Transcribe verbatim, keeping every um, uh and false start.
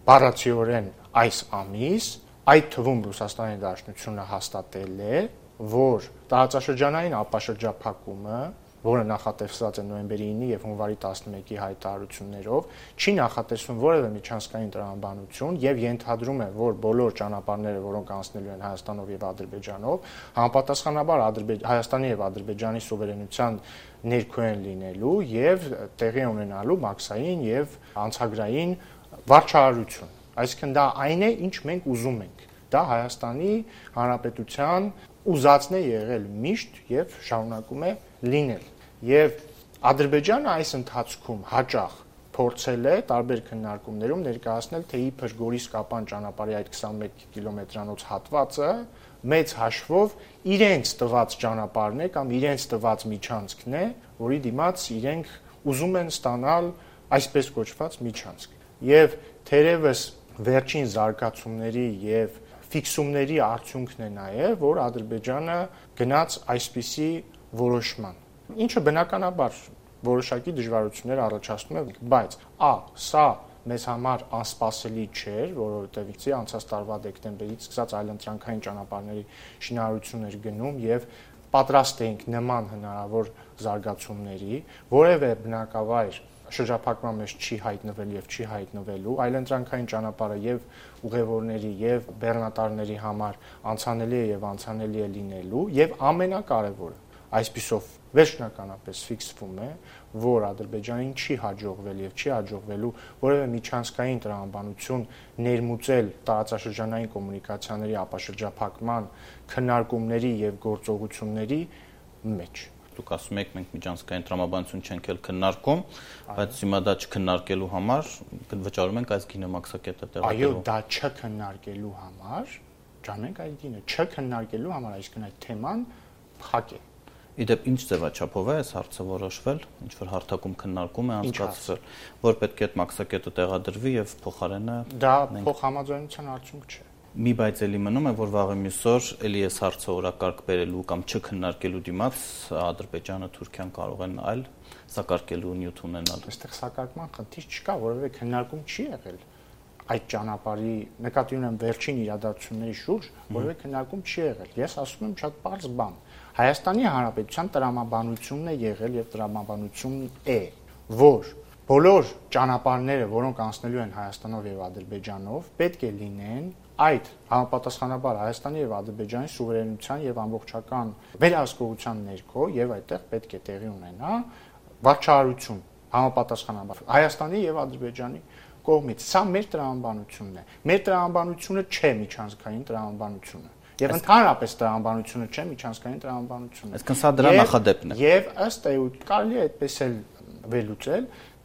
բառացիորեն այս ամիս, այդ թվում Ռուսաստանի Դաշնությունը հաստատել է, որ տարածաշրջանային ապաշրջափակումը, որը նախատեսված է նոյեմբերի ինը եւ հունվարի տասնմեկի հայտարարություններով, չի նախատեսվում որևէ միջանցքային տրամաբանություն եւ ենթադրում է, որ բոլոր ճանապարհները, որոնք անցնելու են Հայաստանով եւ Ադրբեջանով, համապատասխանաբար Հայաստանի եւ Ադրբեջանի սուվերենության ներքո են լինելու եւ տեղի ունենալու մաքսային եւ անցագրային վարչարարություն։ Այսինքն դա այն է, ինչ մենք ուզում ենք։ Դա Հայաստանի Հանրապետության ուզածն է եղել միշտ եւ շարունակում է լինել։ Եվ Ադրբեջանը այս ընթացքում հաճախ փորձել է տարբեր քննարկումներում ներկայացնել, թե իբր Գորիս-Կապան ճանապարհի այդ քսանմեկ կիլոմետրանոց հատվածը մեծ հաշվով իրենց տված ճանապարհն է կամ իրենց տված միջանցքն է, որի դիմաց իրենք ուզում են ստանալ այսպես կոչված միջանցք։ Եվ թերևս վերջին զարգացումների եւ ֆիքսումների արդյունքն է նաեւ, որ Ադրբեջանը գնաց այսպիսի որոշման, ինչը բնականաբար որոշակի դժվարություններ առաջացնում է, բայց ա սա մեզ համար անսպասելի չէր, որովհետեւ իցի անցած տարվա դեկտեմբերից սկսած այլընտրանքային ճանապարհների շինարարություններ գնում եւ պատրաստ էինք նման հնարավոր զարգացումների, որևէ բնակավայր շրջափակման մեջ չի հայտնվել եւ չի հայտնվելու, այլընտրանքային ճանապարհը եւ ուղևորների եւ բեռնատարների համար անցանելի է եւ անցանելի է լինելու եւ ամենակարևորը այսպիսով վերջնականապես ֆիքսվում է, որ Ադրբեջանին չի հաջողվել եւ չի հաջողվելու որևէ միջանցքային տրամաբանություն ներմուծել տարածաշրջանային կոմունիկացիաների ապաշրջափակման քննարկումների եւ գործողությունների մեջ։ Դուք ասում եք մենք միջանցքային տրամաբանություն չենք էլ քննարկում, բայց հիմա դա չքննարկելու համար վճարում ենք այս գինը մաքսակետը տեղադրելու։ Այո, դա չքննարկելու համար, ճանենք այդ գինը, չքննարկելու համար, այսինքն այդ թեման փակ է։ Իդեպ ինչ ձևաչափով է այս հարցը որոշվել, ինչ որ հարթակում քննարկում է անցկացվել, որ պետք է այդ մաքսակետը տեղադրվի եւ փոխարենը դա փոխհամաձայնության արդյունք չէ։ Մի բայց էլի մնում է, որ վաղը միսօր էլի այս հարցը օրակարգ բերելու կամ չքննարկելու դիմաց Ադրբեջանը, Թուրքիան կարող են այլ սակարկելու նյութ ունենալ։ Այստեղ սակարկման խնդիր չկա, որովհետեւ քննարկում չի եղել այդ ճանապարհի նկատի ունեմ վերջին իրադարձությունների շուրջ, որովհետեւ քննարկում չի եղել։ Ես ասում եմ շատ պարզ բան։ Հայաստանի Հանրապետության տրամաբանությունն է եղել եւ տրամաբանությունն է, որ բոլոր ճանապարհները, որոնք անցնելու են Հայաստանով եւ Ադրբեջանով, պետք է լինեն այդ համապատասխանաբար Հայաստանի եւ Ադրբեջանի սուվերենության եւ ամբողջական վերահսկողության ներքո եւ այդտեղ պետք է տեղի ունենա վարչարարություն համապատասխանաբար Հայաստանի եւ Ադրբեջանի կողմից։ Սա մեր տրամաբանությունն է։ Մեր տրամաբանությունը չէ միջանցքային տրամաբանությունը։ Եվ ընդհանրապես տրամաբանությունը չէ միջանցքային տրամաբանությունը։ Այսինքն սա դրա նախադեպն է։ Եվ ըստ էության կարելի է այդպես էլ վերլուծել,